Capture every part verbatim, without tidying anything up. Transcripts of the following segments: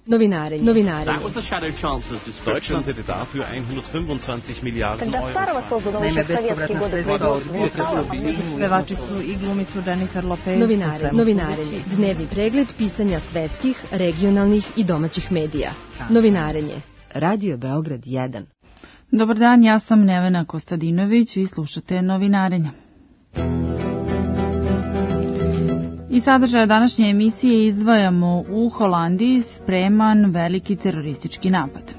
Novinarenje. Novinarenje. Deutschland hätte dafür hundertfünfundzwanzig Milliarden Euro. Naime, bespovratna sredstva od budžeta se objedinjuju. Pevačicu i glumicu Jennifer Lopez. Novinarenje. Novinarenje. Dnevni pregled pisanja svetskih, regionalnih i domaćih medija. Novinarenje. Radio Beograd jedan. Dobar dan, ja sam Nevena Kostadinović i slušate Novinarenje. I sadržaja današnje emisije izdvajamo: u Holandiji spreman veliki teroristički napad.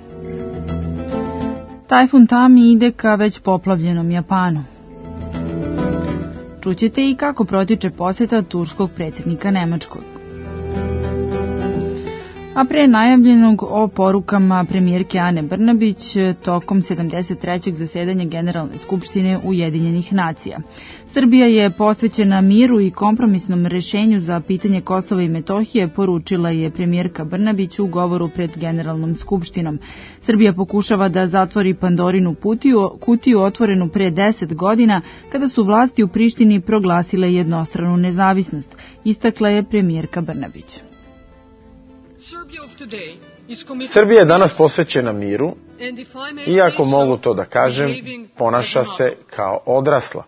Tajfun Tami ide ka već poplavljenom Japanu. Čućete i kako protiče posjeta turskog predsjednika Nemačkog. A pre najavljenog o porukama premijerke Ane Brnabić tokom sedamdeset trećeg zasedanja Generalne skupštine Ujedinjenih nacija. Srbija je posvećena miru i kompromisnom rešenju za pitanje Kosova i Metohije, poručila je premijerka Brnabić u govoru pred Generalnom skupštinom. Srbija pokušava da zatvori Pandorinu kutiju, kutiju otvorenu pre deset godina, kada su vlasti u Prištini proglasile jednostranu nezavisnost, istakla je premijerka Brnabić. Srbija je danas posvećena miru i, ako mogu to da kažem, ponaša se kao odrasla.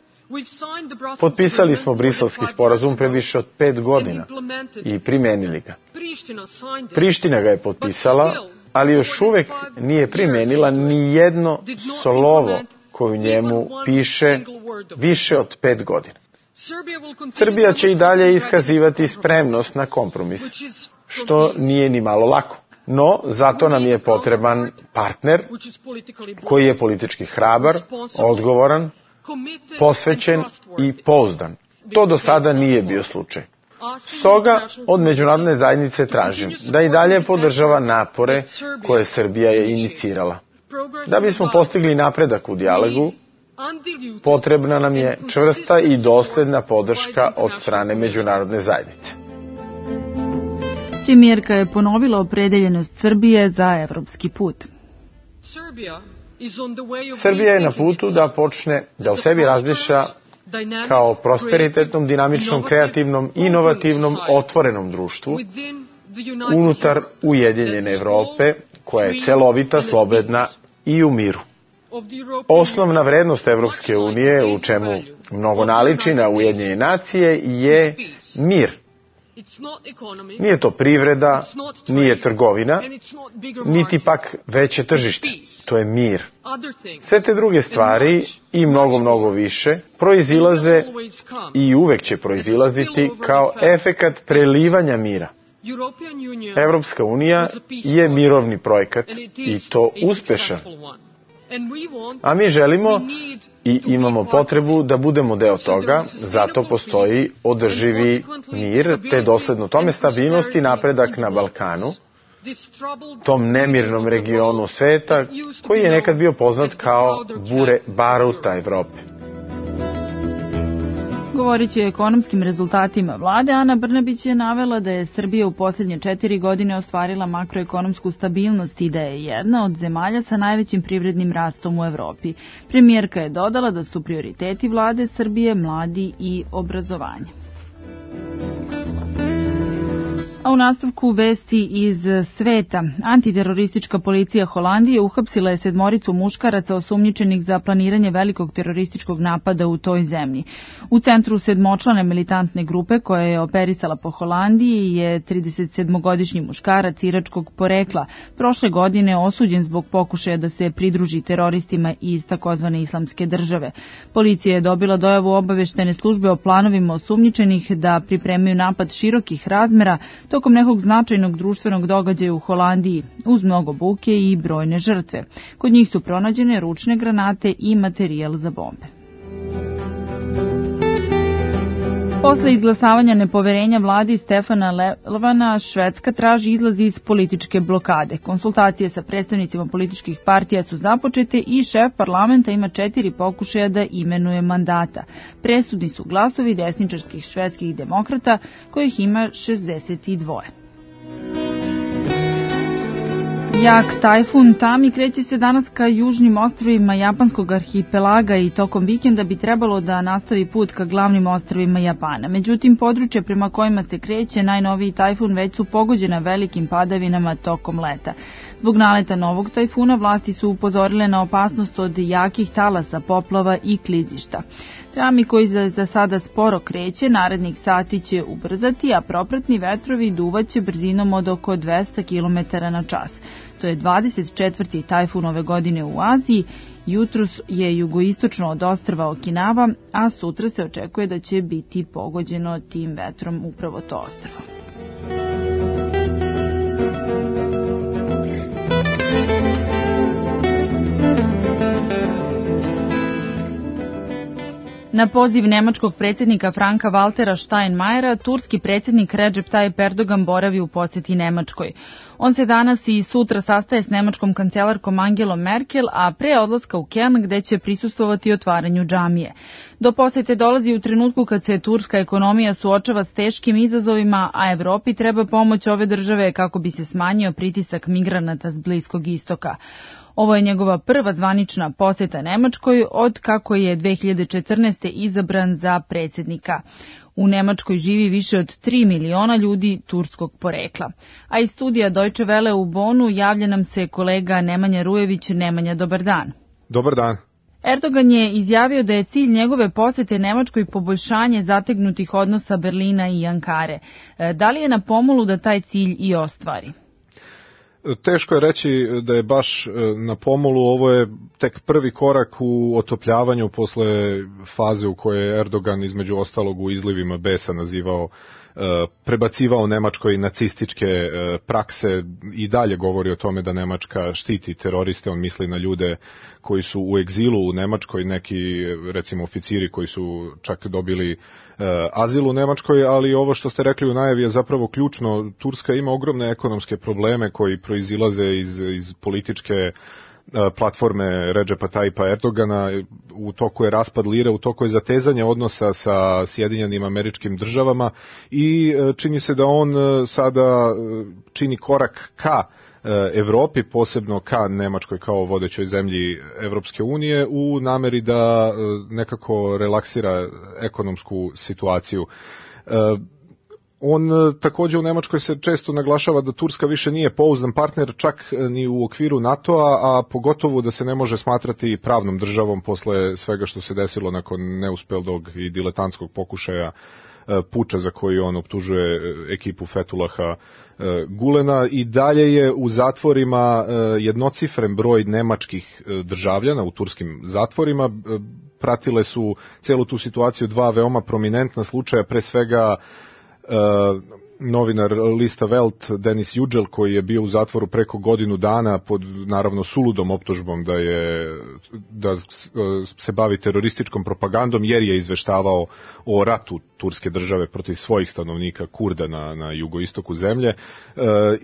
Potpisali smo Briselski sporazum pre više od pet godina i primenili ga. Priština ga je potpisala, ali još uvek nije primenila ni jedno slovo koju njemu piše više od pet godina. Srbija će i dalje iskazivati spremnost na kompromis, što nije ni malo lako. No, zato nam je potreban partner koji je politički hrabar, odgovoran, posvećen i pouzdan. To do sada nije bio slučaj. Stoga od međunarodne zajednice tražim da i dalje podržava napore koje Srbija je inicirala. Da bismo postigli napredak u dijalogu, potrebna nam je čvrsta i dosledna podrška od strane međunarodne zajednice. Premijerka je ponovila opredeljenost Srbije za evropski put. Srbija je na putu da počne da o sebi razmišlja kao prosperitetnom, dinamičnom, kreativnom, inovativnom, otvorenom društvu unutar Ujedinjene Evrope, koja je celovita, slobodna i u miru. Osnovna vrednost Evropske unije, u čemu mnogo naliči na Ujedinjene nacije, je mir. Nije to privreda, nije trgovina, niti pak veće tržište. To je mir. Sve te druge stvari i mnogo, mnogo više proizilaze i uvek će proizilaziti kao efekat prelivanja mira. Evropska unija je mirovni projekat i to uspešan. A mi želimo i imamo potrebu da budemo deo toga, zato postoji održivi mir, te dosledno tome stabilnost i napredak na Balkanu, tom nemirnom regionu sveta koji je nekad bio poznat kao bure baruta Evrope. Govoreći o ekonomskim rezultatima vlade, Ana Brnabić je navela da je Srbija u posljednje četiri godine ostvarila makroekonomsku stabilnost i da je jedna od zemalja sa najvećim privrednim rastom u Evropi. Premijerka je dodala da su prioriteti vlade Srbije mladi i obrazovanje. A u nastavku vesti iz sveta, antiteroristička policija Holandije uhapsila je sedmoricu muškaraca osumnjičenih za planiranje velikog terorističkog napada u toj zemlji. U centru sedmočlane militantne grupe koja je operisala po Holandiji je tridesetsedmogodišnji muškarac iračkog porekla, prošle godine osuđen zbog pokušaja da se pridruži teroristima iz takozvane islamske države. Policija je dobila dojavu obaveštene službe o planovima osumnjičenih da pripremaju napad širokih razmera tokom nekog značajnog društvenog događaja u Holandiji, uz mnogo buke i brojne žrtve. Kod njih su pronađene ručne granate i materijal za bombe. Posle izglasavanja nepoverenja vladi Stefana Löfvena, Švedska traži izlaz iz političke blokade. Konsultacije sa predstavnicima političkih partija su započete i šef parlamenta ima četiri pokušaja da imenuje mandata. Presudni su glasovi desničarskih švedskih demokrata, kojih ima šezdeset dva. Jak tajfun Tami kreće se danas ka južnim ostrvima japanskog arhipelaga i tokom vikenda bi trebalo da nastavi put ka glavnim ostrvima Japana. Međutim, područje prema kojima se kreće najnoviji tajfun već su pogođena velikim padavinama tokom leta. Zbog naleta novog tajfuna vlasti su upozorile na opasnost od jakih talasa, poplava i klizišta. Tami koji za, za sada sporo kreće, narednih sati će ubrzati, a propratni vetrovi duvaće brzinom od oko dvesta kilometara na čas. To je dvadeset četvrti tajfun ove godine u Aziji. Jutros je jugoistočno od ostrva Okinava, a sutra se očekuje da će biti pogođeno tim vetrom upravo to ostrvo. Na poziv nemačkog predsjednika Franka Waltera Steinmeiera, turski predsjednik Recep Tayyip Erdogan boravi u posjeti Nemačkoj. On se danas i sutra sastaje s nemačkom kancelarkom Angelom Merkel, a pre odlaska u Köln gde će prisustvovati otvaranju džamije. Do posjete dolazi u trenutku kad se turska ekonomija suočava s teškim izazovima, a Evropi treba pomoć ove države kako bi se smanjio pritisak migranata s Bliskog istoka. Ovo je njegova prva zvanična posjeta Nemačkoj od kako je dve hiljade četrnaeste. izabran za predsjednika. U Nemačkoj živi više od tri miliona ljudi turskog porekla. A iz studija Deutsche Welle u Bonu javlja nam se kolega Nemanja Rujević. Nemanja, dobar dan. Dobar dan. Erdogan je izjavio da je cilj njegove posjete Nemačkoj poboljšanje zategnutih odnosa Berlina i Ankare. Da li je na pomolu da taj cilj i ostvari? Teško je reći da je baš na pomolu, ovo je tek prvi korak u otopljavanju posle faze u kojoj je Erdogan između ostalog u izlivima besa nazivao, prebacivao Nemačkoj nacističke prakse i dalje govori o tome da Nemačka štiti teroriste, on misli na ljude koji su u egzilu u Nemačkoj, neki recimo oficiri koji su čak dobili azil u Nemačkoj, ali ovo što ste rekli u najavi je zapravo ključno. Turska ima ogromne ekonomske probleme koji proizilaze iz, iz političke platforme Recepa Tayyipa Erdogana, u toku je raspad lire, u toku je zatezanje odnosa sa Sjedinjenim Američkim Državama i čini se da on sada čini korak ka Evropi, posebno ka Nemačkoj kao vodećoj zemlji Evropske unije, u nameri da nekako relaksira ekonomsku situaciju. On također u Nemačkoj se često naglašava da Turska više nije pouzdan partner čak ni u okviru NATO-a, a pogotovo da se ne može smatrati pravnom državom posle svega što se desilo nakon neuspelog i diletantskog pokušaja puča za koji on optužuje ekipu Fethullaha Gulena. I dalje je u zatvorima jednocifren broj nemačkih državljana u turskim zatvorima. Pratile su celu tu situaciju dva veoma prominentna slučaja, pre svega Uh, novinar lista Welt Denis Yücel koji je bio u zatvoru preko godinu dana pod naravno suludom optužbom da je da se bavi terorističkom propagandom jer je izveštavao o ratu turske države protiv svojih stanovnika Kurda na, na jugoistoku zemlje. E,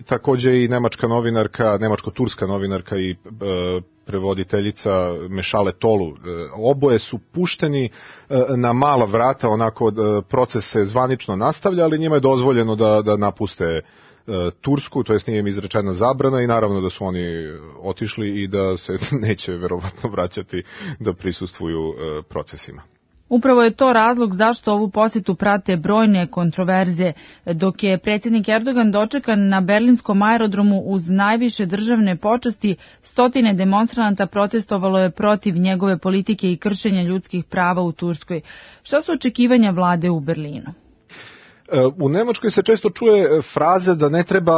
također i nemačka novinarka, nemačko-turska novinarka i e, prevoditeljica Mešale Tolu. Oboje su pušteni na mala vrata, onako proces se zvanično nastavlja, ali njima je dozvoljeno da, da napuste Tursku, to jest nije im izrečena zabrana i naravno da su oni otišli i da se neće verovatno vraćati da prisustvuju procesima. Upravo je to razlog zašto ovu posjetu prate brojne kontroverze, dok je predsjednik Erdogan dočekan na berlinskom aerodromu uz najviše državne počasti, stotine demonstranata protestovalo je protiv njegove politike i kršenja ljudskih prava u Turskoj. Šta su očekivanja vlade u Berlinu? U Nemačkoj se često čuje fraza da ne treba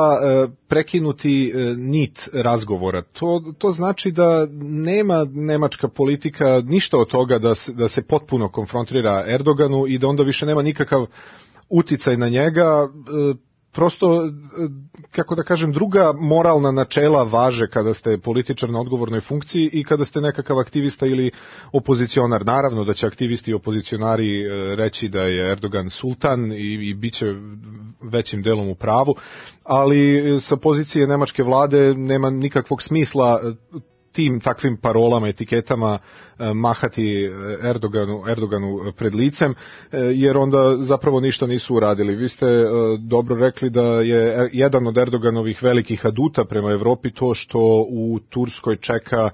prekinuti nit razgovora. To, to znači da nema nemačka politika ništa od toga da se, da se potpuno konfrontira Erdoganu i da onda više nema nikakav uticaj na njega. Prosto, kako da kažem, druga moralna načela važe kada ste političar na odgovornoj funkciji i kada ste nekakav aktivista ili opozicionar. Naravno da će aktivisti i opozicionari reći da je Erdogan sultan i, i bit će većim delom u pravu, ali sa pozicije nemačke vlade nema nikakvog smisla tim takvim parolama, etiketama mahati Erdoganu, Erdoganu pred licem, jer onda zapravo ništa nisu uradili. Vi ste dobro rekli da je jedan od Erdoganovih velikih aduta prema Evropi to što u Turskoj čeka,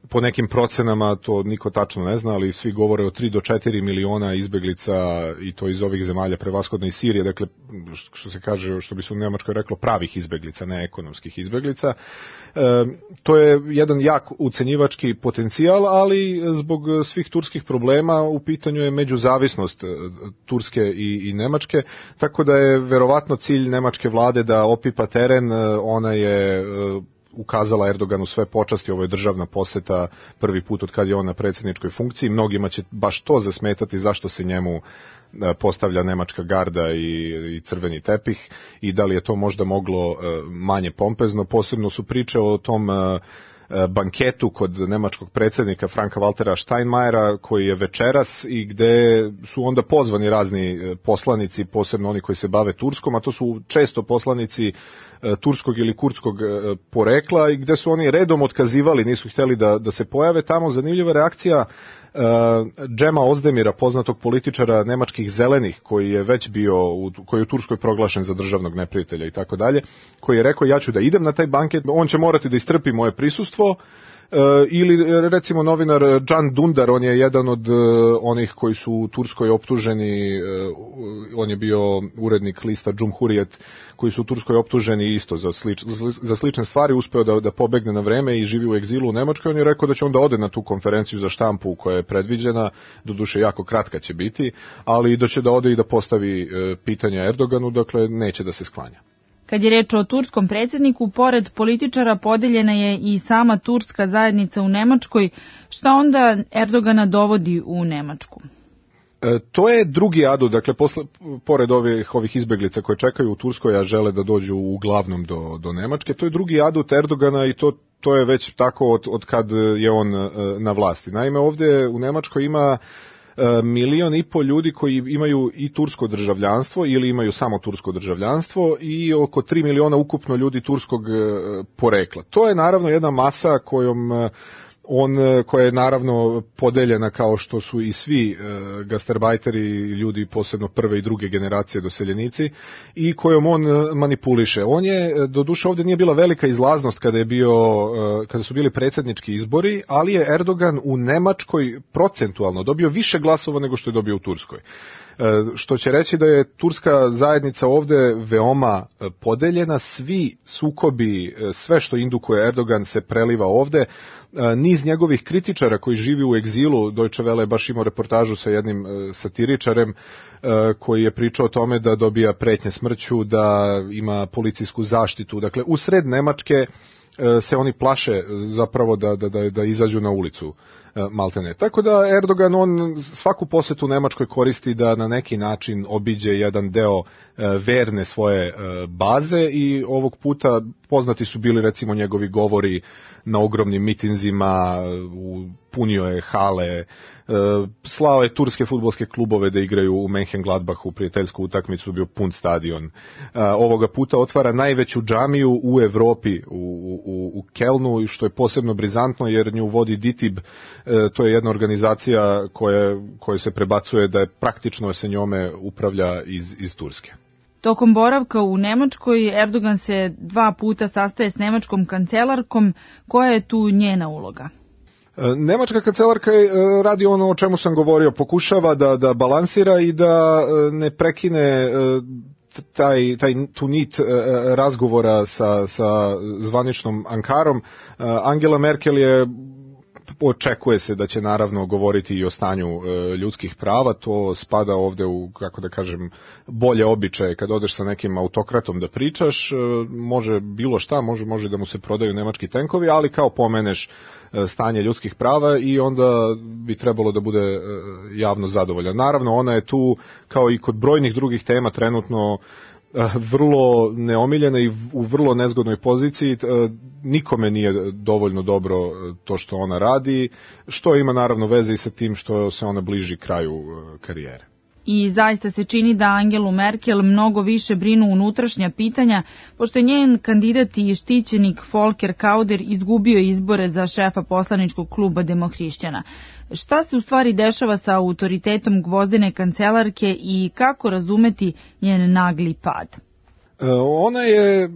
po nekim procenama, to niko tačno ne zna, ali svi govore o tri do četiri miliona izbeglica, i to iz ovih zemalja, prevashodno iz Sirije, dakle, što se kaže, što bi se u Nemačkoj reklo, pravih izbeglica, ne ekonomskih izbeglica. E, to je jedan jak ucenjivački potencijal, ali zbog svih turskih problema u pitanju je međuzavisnost Turske i, i Nemačke, tako da je verovatno cilj nemačke vlade da opipa teren. Ona je ukazala Erdoganu sve počasti, ovo je državna poseta prvi put od kad je on na predsjedničkoj funkciji. Mnogima će baš to zasmetati zašto se njemu postavlja nemačka garda i, i crveni tepih, i da li je to možda moglo manje pompezno. Posebno su priče o tom banketu kod nemačkog predsjednika Franka Waltera Steinmeiera koji je večeras, i gde su onda pozvani razni poslanici, posebno oni koji se bave Turskom, a to su često poslanici turskog ili kurdskog porekla, i gde su oni redom otkazivali, nisu htjeli da, da se pojave tamo. Zanimljiva reakcija Uh, Džema Ozdemira, poznatog političara nemačkih zelenih, koji je već bio u, koji je u Turskoj proglašen za državnog neprijatelja i tako dalje, koji je rekao ja ću da idem na taj banket, on će morati da istrpi moje prisustvo. Uh, ili recimo novinar Can Dündar, on je jedan od uh, onih koji su u Turskoj optuženi, uh, on je bio urednik lista Cumhuriyet, koji su u Turskoj optuženi isto za, slič, za slične stvari, uspeo da, da pobegne na vreme i živi u egzilu u Nemačkoj. On je rekao da će onda ode na tu konferenciju za štampu koja je predviđena, doduše jako kratka će biti, ali da će da ode i da postavi uh, pitanja Erdoganu, dakle neće da se sklanja. Kad je reč o turskom predsjedniku, pored političara podeljena je i sama turska zajednica u Nemačkoj. Šta onda Erdogana dovodi u Nemačku? E, to je drugi adut, dakle, posle, pored ovih, ovih izbeglica koje čekaju u Turskoj, a žele da dođu uglavnom do, do Nemačke, to je drugi adut Erdogana, i to, to je već tako od, od kad je on e, na vlasti. Naime, ovdje u Nemačkoj ima milion i pol ljudi koji imaju i tursko državljanstvo ili imaju samo tursko državljanstvo, i oko tri miliona ukupno ljudi turskog porekla. To je naravno jedna masa kojom on, koja je naravno podeljena kao što su i svi e, gastarbajteri, ljudi posebno prve i druge generacije doseljenici, i kojom on manipuliše. On je, doduše ovdje nije bila velika izlaznost kada je bio, e, kada su bili predsjednički izbori, ali je Erdogan u Nemačkoj procentualno dobio više glasova nego što je dobio u Turskoj. Što će reći da je turska zajednica ovdje veoma podeljena, svi sukobi, sve što indukuje Erdogan se preliva ovdje. Niz njegovih kritičara koji živi u egzilu, Deutsche Welle je baš imao reportažu sa jednim satiričarem koji je pričao o tome da dobija pretnje smrću, da ima policijsku zaštitu. Dakle, u sred Nemačke se oni plaše zapravo da, da, da, da izađu na ulicu, maltene. Tako da Erdogan, on svaku posetu Nemačkoj koristi da na neki način obiđe jedan deo verne svoje baze, i ovog puta poznati su bili recimo njegovi govori na ogromnim mitinzima, punio je hale, slao je turske fudbalske klubove da igraju u Mönchengladbachu, prijateljsku utakmicu, bio pun stadion. Ovoga puta otvara najveću džamiju u Evropi, u, u, u Kelnu, što je posebno brizantno jer nju vodi DİTİB, to je jedna organizacija koja, koja se prebacuje da je praktično se njome upravlja iz, iz Turske. Tokom boravka u Nemačkoj Erdogan se dva puta sastaje s nemačkom kancelarkom. Koja je tu njena uloga? Nemačka kancelarka radi ono o čemu sam govorio, pokušava da, da balansira i da ne prekine taj, taj tu nit razgovora sa, sa zvaničnom Ankarom. Angela Merkel je, očekuje se da će naravno govoriti i o stanju e, ljudskih prava, to spada ovde u, kako da kažem, bolje običaje. Kad odeš sa nekim autokratom da pričaš, e, može bilo šta, može, može da mu se prodaju nemački tenkovi, ali kao pomeneš e, stanje ljudskih prava i onda bi trebalo da bude e, javno zadovoljan. Naravno, ona je tu, kao i kod brojnih drugih tema, trenutno vrlo neomiljena i u vrlo nezgodnoj poziciji. Nikome nije dovoljno dobro to što ona radi, što ima naravno veze i sa tim što se ona bliži kraju karijere. I zaista se čini da Angelu Merkel mnogo više brinu unutrašnja pitanja, pošto je njen kandidat i štićenik Volker Kauder izgubio izbore za šefa poslaničkog kluba Demohrišćana. Šta se u stvari dešava sa autoritetom gvozdene kancelarke i kako razumeti njen nagli pad? Ona je,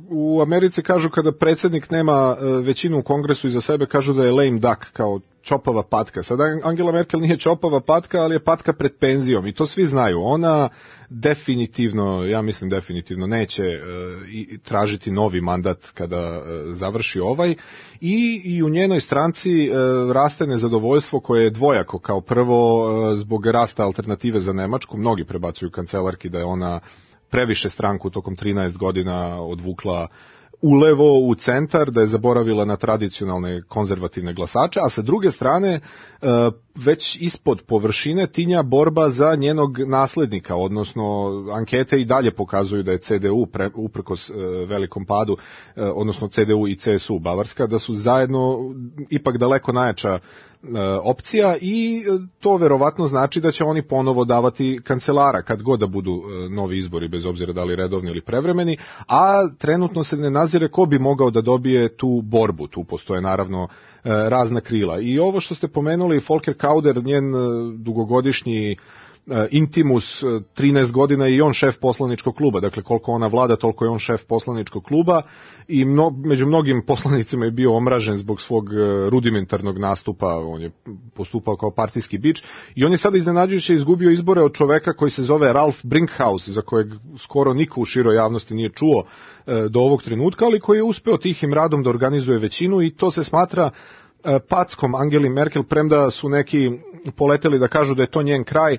u Americi kažu kada predsjednik nema većinu u kongresu iza sebe, kažu da je lame duck, kao čopava patka. Sada Angela Merkel nije čopava patka, ali je patka pred penzijom i to svi znaju. Ona definitivno, ja mislim definitivno, neće uh, tražiti novi mandat kada uh, završi ovaj i, i u njenoj stranci uh, raste nezadovoljstvo koje je dvojako. Kao prvo, uh, zbog rasta alternative za Nemačku, mnogi prebacuju kancelarki da je ona previše stranku tokom trinaest godina odvukla ulevo u centar, da je zaboravila na tradicionalne konzervativne glasače, a sa druge strane već ispod površine tinja borba za njenog naslednika, odnosno ankete i dalje pokazuju da je C D U, pre, uprkos velikom padu, odnosno C D U i C S U Bavarska, da su zajedno ipak daleko najjača opcija i to verovatno znači da će oni ponovo davati kancelara kad god da budu novi izbori, bez obzira da li redovni ili prevremeni, a trenutno se ne nazire ko bi mogao da dobije tu borbu. Tu postoje naravno razna krila. I ovo što ste pomenuli, Volker Kauder, njen dugogodišnji intimus, trinaest godina i on šef poslaničkog kluba, dakle koliko ona vlada, toliko je on šef poslaničkog kluba i mno, među mnogim poslanicima je bio omražen zbog svog rudimentarnog nastupa, on je postupao kao partijski bič i on je sada iznenađujuće izgubio izbore od čoveka koji se zove Ralf Brinkhaus, za kojeg skoro niko u široj javnosti nije čuo do ovog trenutka, ali koji je uspeo tihim radom da organizuje većinu i to se smatra packom Angeli Merkel, premda su neki poleteli da kažu da je to njen kraj.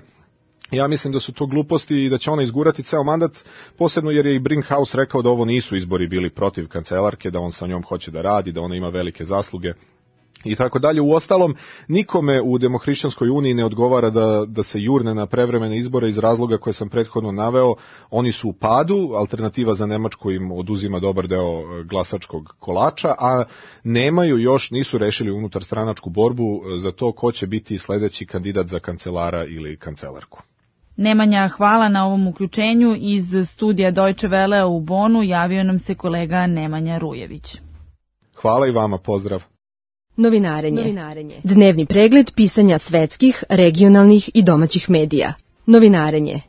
Ja mislim da su to gluposti i da će ona izgurati ceo mandat, posebno jer je i Brinkhaus rekao da ovo nisu izbori bili protiv kancelarke, da on sa njom hoće da radi, da ona ima velike zasluge i tako dalje. Uostalom, nikome u Demohrišćanskoj uniji ne odgovara da, da se jurne na prevremene izbore iz razloga koje sam prethodno naveo. Oni su u padu, alternativa za Nemačku im oduzima dobar deo glasačkog kolača, a nemaju još, nisu rešili unutar stranačku borbu za to ko će biti sledeći kandidat za kancelara ili kancelarku. Nemanja, hvala na ovom uključenju. Iz studija Deutsche Welle u Bonu javio nam se kolega Nemanja Rujević. Hvala i vama, pozdrav. Novinarenje. Novinarenje. Dnevni pregled pisanja svetskih, regionalnih i domaćih medija. Novinarenje.